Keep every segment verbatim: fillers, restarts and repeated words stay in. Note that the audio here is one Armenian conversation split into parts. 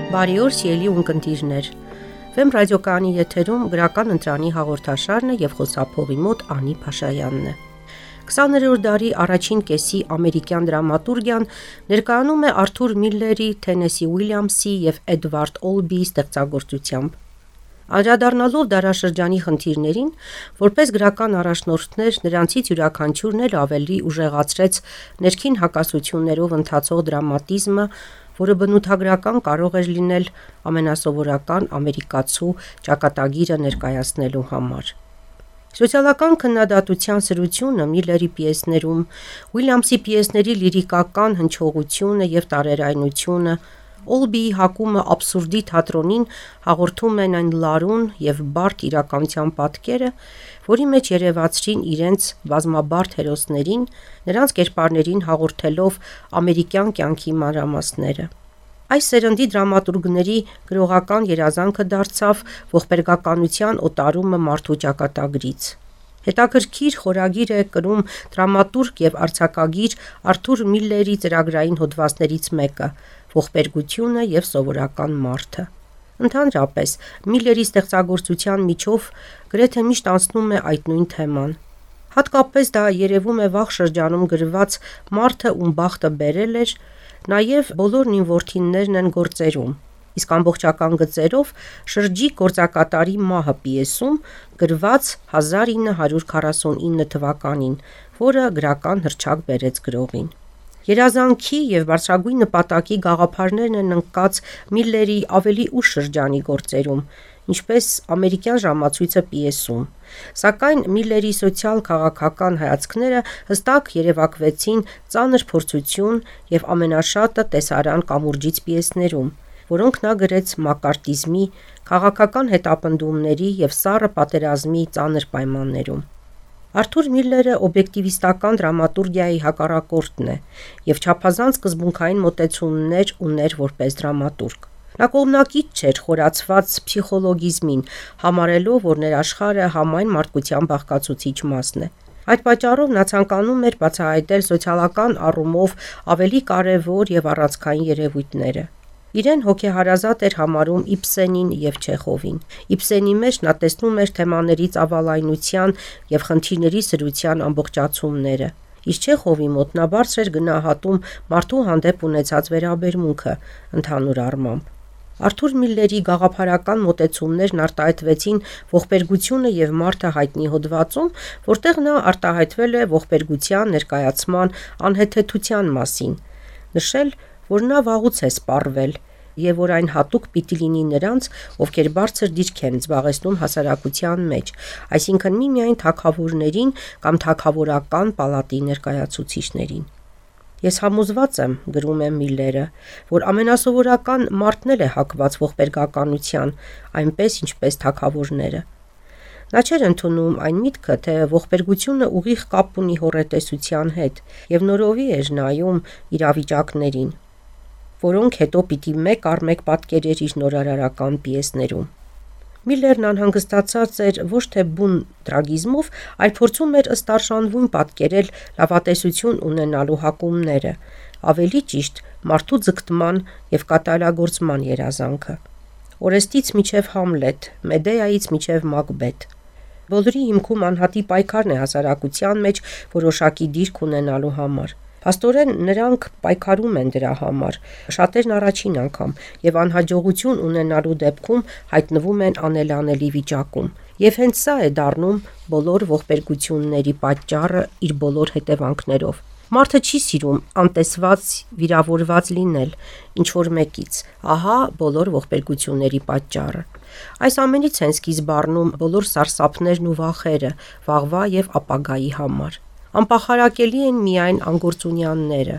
Բարի օր, սիրելի ունկնդիրներ։ Վեմ ռադիոկայանի եթերում գրական ընտրանի հաղորդաշարն է եւ խոսափողի մոտ Անի Փաշայանն է։ քսաներորդ դարի առաջին կեսի ամերիկյան դրամատուրգիան ներկայանում է Արթուր Միլլերի, Թենեսի Ուիլյամսի եւ Էդվարդ Օլբիի ստեղծագործությամբ։ Անդրադառնալով դարաշրջանի խնդիրներին, որպես գրական առաջնորդներ, նրանցից յուրաքանչյուրն էլ ավելի ուժեղացրեց ներքին հակասություններով ընթացող դրամատիզմը, որը բնութագրական կարող էր լինել ամենասովորական ամերիկացու ճակատագիրը ներկայացնելու համար։ Սոցիալական քննադատության սրությունը Միլլերի պիեսներում, Ուիլյամսի պիեսների լիրիկական հնչողությունը եւ տարերայնությունը, Օլբիի հակումը աբսուրդի թատրոնին հաղորդում են այն լարուն եւ բարդ իրականության պատկերը, որի մեջ երևացրին իրենց բազմաբարդ հերոսներին, նրանց կերպարներին հաղորդելով ամերիկյան կյանքի մանրամասները։ Այս սերնդի դրամատուրգների գրողական երազանքը դարձավ ողբերգականության օտարումը մարդու ճակատագրից։ Հետաքրքիր խորագիր է կրում դրամատուրգ եւ արձակագիր Արթուր Միլլերի ծրագրային հոդվածներից մեկը՝ ողբերգությունը եւ սովորական մարդը։ Ընդհանրապես, Միլլերի ստեղծագործության միջով գրեթե միշտ անցնում է այդ նույն թեման։ Հատկապես դա երևում է վաղ շրջանում գրված «Մարդը, ում բախտը բերել էր», նաև «Բոլորն իմ որդիներն են» գործերում, իսկ ամբողջական գծերով «Շրջիկ գործակատարի մահը» պիեսում, գրված հազար ինը հարյուր քառասունինը թվականին, որը գրական հռչակ բերեց գրողին։ Երազանքի եւ բարձրագույն նպատակի գաղափարներն են ընկած Միլլերի ավելի ուշ շրջանի գործերում, ինչպես «Ամերիկյան ժամացույցը» պիեսում, սակայն Միլլերի սոցիալ-քաղաքական հայացքները հստակ երևակվեցին «Ծանր փորձություն» եւ ամենաշատը «Տեսարան կամուրջից» պիեսներում, որոնք նա գրեց մակարտիզմի, քաղաքական հետապնդումների եւ սառը պատերազմի ծանր պայմաններում։ Արթուր Միլլերը օբյեկտիվիստական դրամատուրգիայի հակառակորդն է եւ չափազանց սկզբունքային մոտեցումներ ուներ որպես դրամատուրգ։ Նա կողմնակից չէր խորացված փսիխոլոգիզմին, համարելով, որ ներաշխարհը համայն մարդկության բաղկացուցիչ մասն է։ Այդ պատճառով նա ցանկանում էր բացահայտել սոցիալական առումով ավելի կարևոր եւ առանցքային երևույթները։ Իրեն հոգեհարազատ էր համարում Իբսենին եւ Չեխովին։ Իբսենի մեջ նա տեսնում էր թեմաների ծավալայնության եւ խնդիրների սրության ամբողջացումները, իսկ Չեխովի մոտ նա բարձր էր գնահատում մարդու հանդեպ ունեցած վերաբերմունքը ընդհանուր առմամբ։ Արթուր Միլլերի գաղափարական մոտեցումներն արտահայտվեցին «Ողբերգությունը եւ մարդը» հայտնի հոդվածում, որտեղ նա արտահայտվել է ողբերգության ներկայացման անհեթեթության մասին, նշել, որ նա վաղուց է սպառվել եւ որ այն հատուկ պիտի լինի նրանց, ովքեր բարձր դիրք են զբաղեցնում հասարակության մեջ, այսինքն միմիայն թագավորներին կամ թագավորական պալատի ներկայացուցիչներին։ Ես համոզված եմ, գրում է Միլլերը, որ ամենասովորական մարդն էլ է հակված ողբերգականության, այնպես ինչպես թագավորները։ Նա չէր ընդունում այն միտքը, թե ողբերգությունը ուղիղ կապ ունի հոռետեսության հետ եւ նորովի էր նայում իրավիճակներին, որոնք հետո պիտի մեկ առ մեկ պատկերեր իր նորարարական պիեսներում։ Միլլերն անհանգստացած էր ոչ թե բուն տրագիզմով, այլ փորձում էր ըստ արժանվույն պատկերել լավատեսություն ունենալու հակումները, ավելի ճիշտ մարդու ձգտման եւ կատարելագործման երազանքը։ Օրեստից մինչև Համլետ, Մեդեայից մինչև Մակբեթ։ Բոլորի հիմքում անհատի պայքարն է հասարակության մեջ որոշակի դիրք ունենալու համար։ Փաստորեն նրանք պայքարում են դրա համար, շատերն առաջին անգամ, եւ անհաջողություն ունենալու դեպքում հայտնվում են անելանելի վիճակում։ Եվ հենց սա է դառնում բոլոր ողբերգությունների պատճառը իր բոլոր հետևանքներով։ Մարդը չի սիրում անտեսված, վիրավորված լինել ինչ-որ մեկից, ահա բոլոր ողբերգությունների պատճառը։ Այս ամենից են սկիզբ առնում բոլոր սարսափներն ու վախերը վաղվա եւ ապագայի համար։ Անպախարակելի են միայն անգործունյանները։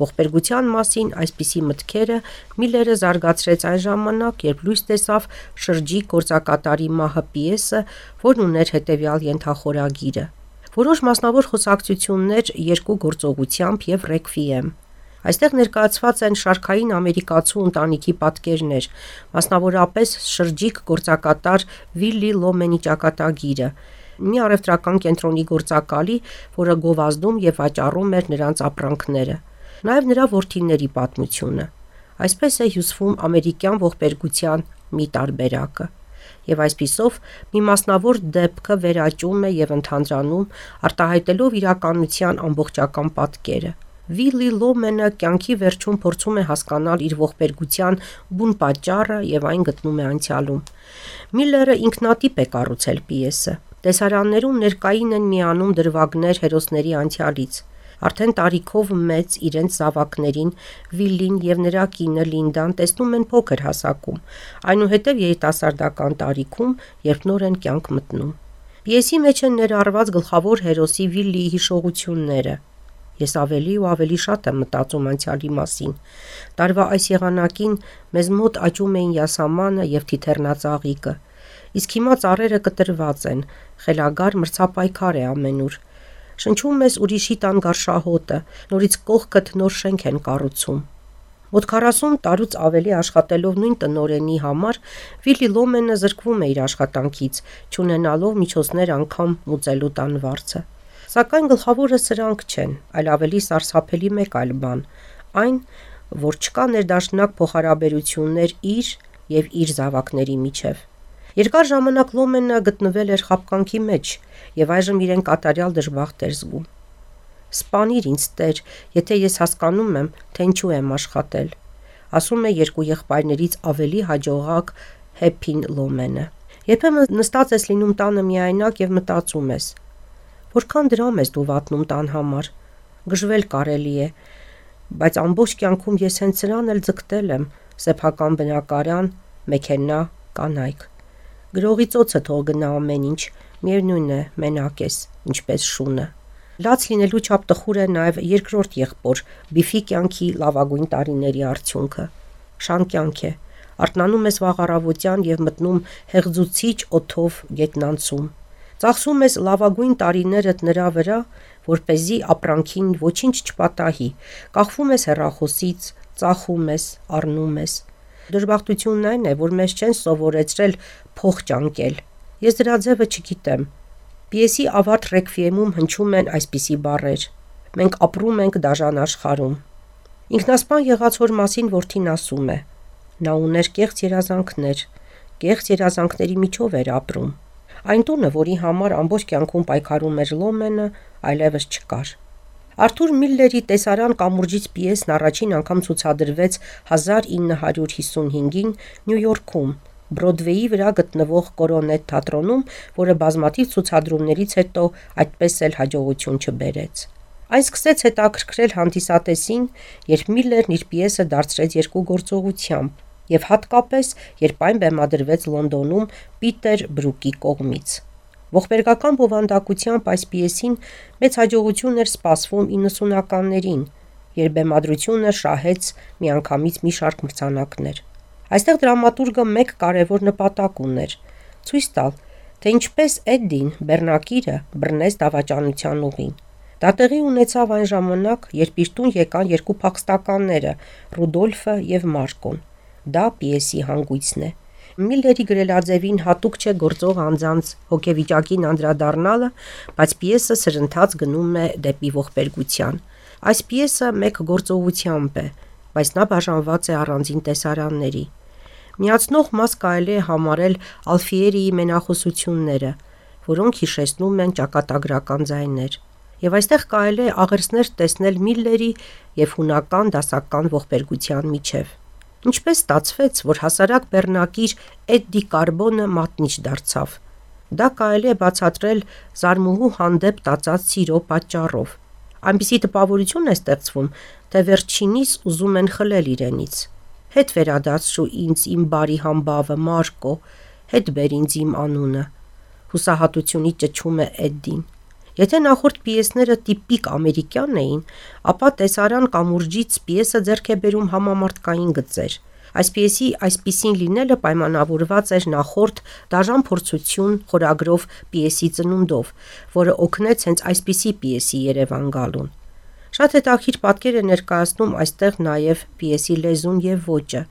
Ողբերգության մասին այսպիսի մտքերը Միլլերը զարգացրեց այն ժամանակ, երբ լույս տեսավ «Շրջիկ գործակատարի մահը» պիեսը, որն ուներ հետևյալ ենթախորագիրը. որոշ մասնավոր խոսակցություններ երկու գործողությամբ եւ ռեկվիեմ։ Այստեղ ներկայացված են շարքային ամերիկացու ընտանիքի պատկերներ, մասնավորապես շրջիկ գործակատար Վիլլի Լոմենի ճակատագիրը, մի առևտրական կենտրոնի գործակալի, որը գովազդում եւ վաճառում էր նրանց ապրանքները, նաեւ նրա որդիների պատմությունը։ Այսպես է հյուսվում ամերիկյան ողբերգության մի տարբերակը։ Եվ այսպիսով մի մասնավոր դեպքը վերաճում է եւ ընդհանրանում, արտահայտելով իրականության ամբողջական պատկերը։ Վիլլի Լոմենը կյանքի վերջում փորձում է հասկանալ իր ողբերգության բուն պատճառը եւ այն գտնում է անցյալում։ Միլլերը ինքնատիպ է կառուցել պիեսը։ Տեսարաններում ներկային են միանում դրվագներ հերոսների անցյալից։ Արդեն տարիքով մեծ իրենց զավակներին Վիլլին եւ նրա կինը Լինդան տեսնում են փոքր հասակում, այնուհետև երիտասարդական տարիքում, երբ նոր են կյանք մտնում։ Պիեսի մեջ են ներառված գլխավոր հերոսի Վիլլիի հիշողությունները։ Ես ավելի ու ավելի շատ եմ մտածում անցյալի մասին։ Տարվա այս եղանակին մեզ մոտ աճում էին յասամանը եւ թիթեռնածաղիկը, իսկ հիմա ծառերը կտրված են, խելագար մրցապայքար է ամենուր։ Շնչում ես ուրիշի տան գարշահոտը, նորից կողքդ նոր շենք են կառուցում։ Մոտ քառասուն տարուց ավելի աշխատելով նույն տնօրենի համար, Վիլլի Լոմենը զրկվում է իր աշխատանքից, չունենալով միջոցներ անգամ մուծելու տան վարձը։ Սակայն գլխավորը սրանք չեն, այլ ավելի սարսափելի մեկ այլ բան, այն, որ չկա ներդաշնակ փոխհարաբերություններ իր եւ իր զավակների միջև։ Երկար ժամանակ Լոմենը գտնվել էր խաբկանքի մեջ եւ այժմ իրեն կատարյալ դժբախտ էր զգում։ Սպանիր ինձ Տեր, եթե ես հասկանում եմ, թե ինչու եմ աշխատել, ասում է երկու եղբայրներից ավելի հաջողակ Հեփին Լոմենը։ Երբեմն նստած ես լինում տանը միայնակ եւ մտածում ես. Որքան դրամ ես դու վատնում տան համար, գժվել կարելի է, բայց ամբողջ կյանքում ես հենց սրան էլ ձգտել եմ, սեփական բնակարան, մեքենա, կանայք։ Գրողի ծոցը թող գնա ամեն ինչ, միևնույն է, մենակ ես, ինչպես շունը։ Լաց լինելու չափ տխուր է նաև երկրորդ եղբոր Բիֆի կյանքի լավագույն տարիների արդյունքը։ Շան կյանք է, արթնանում ես վաղ առավոտյան եւ մտնում հեղձուցիչ օդով գետնանցում։ Ծախսում ես լավագույն տարիներդ նրա վրա, որպեսզի ապրանքին ոչինչ չպատահի, կախվում ես հեռախոսից, ծախում ես, առնում ես։ Դժբախտությունն այն է, որ մեզ չեն սովորեցրել փող ճանկել։ Ես դրա ձևը չգիտեմ։ Պիեսի ավարտ ռեկվիեմում հնչում են այսպիսի բառեր. մենք ապրում ենք դաժան աշխարհում։ Ինքնասպան եղած հոր մասին որդին ասում է. նա ուներ կեղծ երազանքներ, կեղծ երազանքների միջով էր ապրում։ Այն տունը, որի համար ամբողջ կյանքում պայքարում էր Լոմենը, այլևս չկար։ Արթուր Միլլերի տեսարան կամուրջից պիեսն առաջին անգամ ցուցադրվեց հազար ինը հարյուր հիսունհինգին Նյու Յորքում, Բրոդվեյի վրա գտնվող Կորոնետ թատրոնում, որը բազմաթիվ ցուցադրումներից հետո այդպես էլ հաջողություն չբերեց։ Այն սկսեց հետաքրքրել հանդիսատեսին, երբ Միլլերն իր պիեսը դարձրեց երկուգործողությամբ, եւ հատկապես, երբ այն բեմադրվեց Լոնդոնում Պիտեր Բրուկի կողմից։ Ողբերգական բովանդակությամբ այս պիեսին մեծ հաջողություն էր սպասվում իննսունականներին, երբ բեմադրությունը շահեց միանգամից մի շարք մրցանակներ։ Այստեղ դրամատուրգը մեկ կարևոր նպատակ ուներ՝ ցույց տալ, թե ինչպես Էդդին, բեռնակիրը, բռնեց դավաճանության ուղին։ Դա տեղի ունեցավ այն ժամանակ, երբ իր տուն եկան երկու փախստականները՝ Ռուդոլֆը եւ Մարկոն։ Դա պիեսի հանգույցն է։ Միլլերի գրելաձևին հատուկ չէ գործող անձանց հոգեվիճակին անդրադառնալը, բայց պիեսը սրընթաց գնում է դեպի ողբերգության։ Այս պիեսը մեկ գործողությամբ է, բայց նա բաժանված է առանձին տեսարանների։ Միացնող մաս կարելի է համարել Ալֆիերիի մենախոսությունները, որոնք հիշեցնում են ճակատագրական ձայներ։ Եվ այստեղ կարելի է աղերսներ տեսնել Միլլերի եւ հունական դասական ողբերգության միջև։ Ինչպես ստացվեց, որ հասարակ բեռնակիր Էդդի Կարբոնը մատնիչ դարձավ։ Դա կարելի է բացատրել զարմուհու հանդեպ տածած սիրո պատճառով։ Այնպիսի տպավորություն է ստեղծվում, թե վերջինիս ուզում են խլել իրենից։ Հետ վերադարձրու ինձ իմ բարի համբավը Մարկո, հետ բեր ինձ իմ անունը։ Հուսահատությունից ճչում է Էդդին։ Եթե նախորդ պիեսները տիպիկ ամերիկյան էին, ապա տեսարան կամուրջից պիեսը ձեռք է բերում համամարտկային գծեր։ Այս պիեսի այսպիսին լինելը պայմանավորված էր նախորդ դաժան փորձություն խորագրով պիեսի ծնունդով, որը օգնեց հենց այսպիսի պիեսի Երևան գալուն։ Շատ հետաքրքիր պատկեր է ներկայացնում այստեղ նաև պիեսի լեզուն եւ ոճը,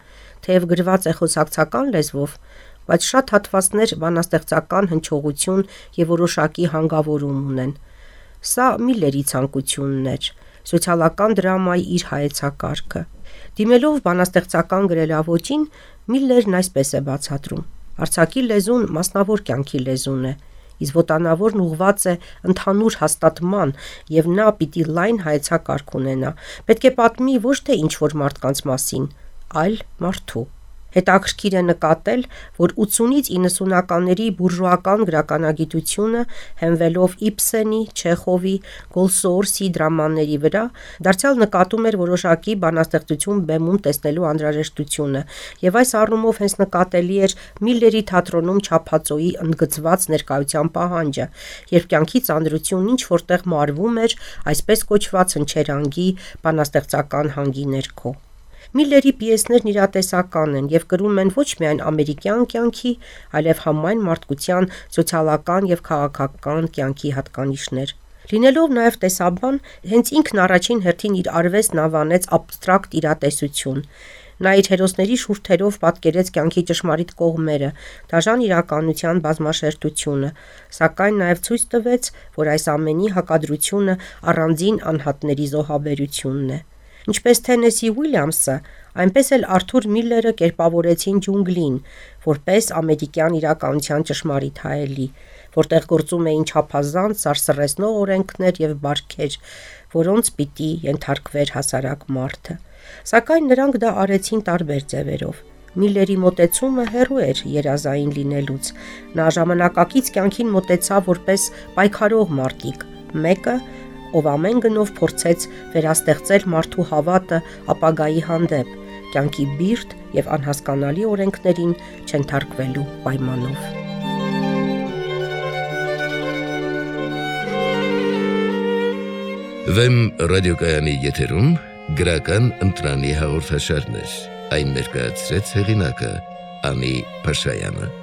թեև գրված է խոսակցական լեզվով, բայց շատ հատվածներ բանաստեղծական հնչողություն եւ որոշակի հանգավորում ունեն։ Սա Միլլերի ցանկությունն էր, սոցիալական դրամայի իր հայեցակարգը։ Դիմելով բանաստեղծական գրելավոճին, Միլլերն այսպես է բացատրում. «Արձակի լեզուն մասնավոր կյանքի լեզուն է, իսկ ոտանավորն ուղղված է ընդհանուր հաստատման և նա պիտի լայն հայեցակարգ ունենա, պետք է պատմի ոչ թե ինչ-որ մարդկանց մասին, այլ մարդու»։ Հետաքրքիր է նկատել, որ ութսունից իննսունականների բուրժուական գրականագիտությունը, հենվելով Իբսենի, Չեխովի, Գոլսոորսի դրամաների վրա, դարձյալ նկատում էր որոշակի բանաստեղծություն բեմում տեսնելու անհրաժեշտությունը, և այս առումով հենց նկատելի էր Միլլերի թատրոնում չափածոյի ընդգծված ներկայության պահանջը, երբ կյանքի ծանրությունն ինչ-որ տեղ մարվում էր այսպես կոչված հնչերանգի բանաստեղծական հանգի ներքո։ Միլլերի պիեսներն իրատեսական են և կրում են ոչ միայն ամերիկյան կյանքի, այլև համայն մարդկության սոցիալական և քաղաքական կյանքի հատկանիշներ։ Լինելով նաև տեսաբան, հենց ինքն առաջին հերթին իր արվեստն անվանեց աբստրակտ իրատեսություն։ Նա իր հերոսների շուրթերով պատկերեց կյանքի ճշմարիտ կողմերը, դաժան իրականության բազմաշերտությունը, սակայն նաև ցույց տվեց, որ այս ամենի հակադրությունը առանձին անհատների զոհաբերությունն է։ Ինչպես Թենեսի Ուիլյամսը, այնպես էլ Արթուր Միլլերը կերպավորեցին ջունգլին, որպես ամերիկյան իրականության ճշմարիտ հայելի, որտեղ գործում էին չափազանց սարսռեցնող օրենքներ և բարքեր, որոնց պիտի ենթարկվեր հասարակ մարդը։ Սակայն նրանք դա արեցին տարբեր ձևերով։ Միլլերի մոտեցումը հեռու էր երազային լինելուց։ Նա ժամանակակից կյանքին մոտեցավ որպես պայքարող մարտիկ, մեկը, ով ամեն գնով փորձեց վերաստեղծել մարդու հավատը ապագայի հանդեպ, կյանքի բիրտ և անհասկանալի օրենքներին չենթարկվելու պայմանով։ Վեմ ռադիոկայանի եթերում գրական ընտրանի հաղորդաշարներ, այն ներկայացրեց հեղինակը Անի Փաշայանը։